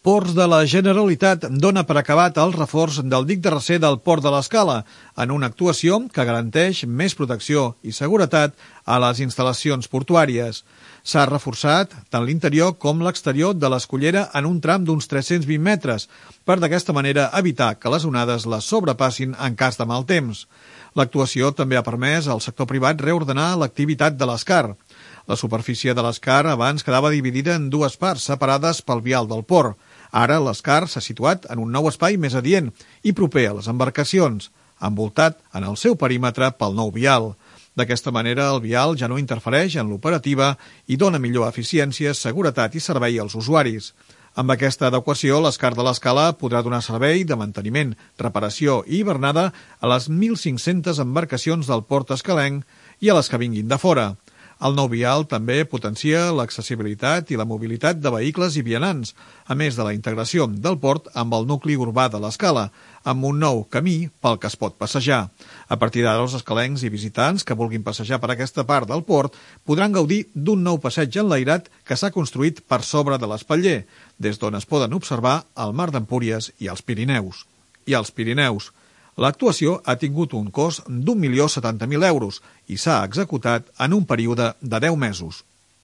Ports de la Generalitat dona per acabat el reforç del dic de recer del Port de l'Escala, en una actuació que garanteix més protecció i seguretat a les instal·lacions portuàries. S'ha reforçat tant l'interior com l'exterior de l'escollera en un tram d'uns 320 metres, per d'aquesta manera evitar que les onades les sobrepassin en cas de mal temps. L'actuació també ha permès al sector privat reordenar l'activitat de l'Escar. La superfície de l'Escar abans quedava dividida en dues parts separades pel vial del port. Ara l'Escar s'ha situat en un nou espai més adient i proper a les embarcacions, envoltat en el seu perímetre pel nou vial. D'aquesta manera, el vial ja no interfereix en l'operativa i dona millor eficiència, seguretat i servei als usuaris. Amb aquesta adequació, l'Escar de l'Escala podrà donar servei de manteniment, reparació i hivernada a les 1.500 embarcacions del port escalenc i a les que vinguin de fora. El nou vial també potencia l'accessibilitat i la mobilitat de vehicles i vianants, a més de la integració del port amb el nucli urbà de l'Escala, amb un nou camí pel que es pot passejar. A partir d'ara, els escalencs i visitants que vulguin passejar per aquesta part del port podran gaudir d'un nou passeig enlairat que s'ha construït per sobre de l'espatller, des d'on es poden observar el Mar d'Empúries i els Pirineus. L'actuació ha tingut un cost d'1.070.000 euros i s'ha executat en un període de 10 mesos.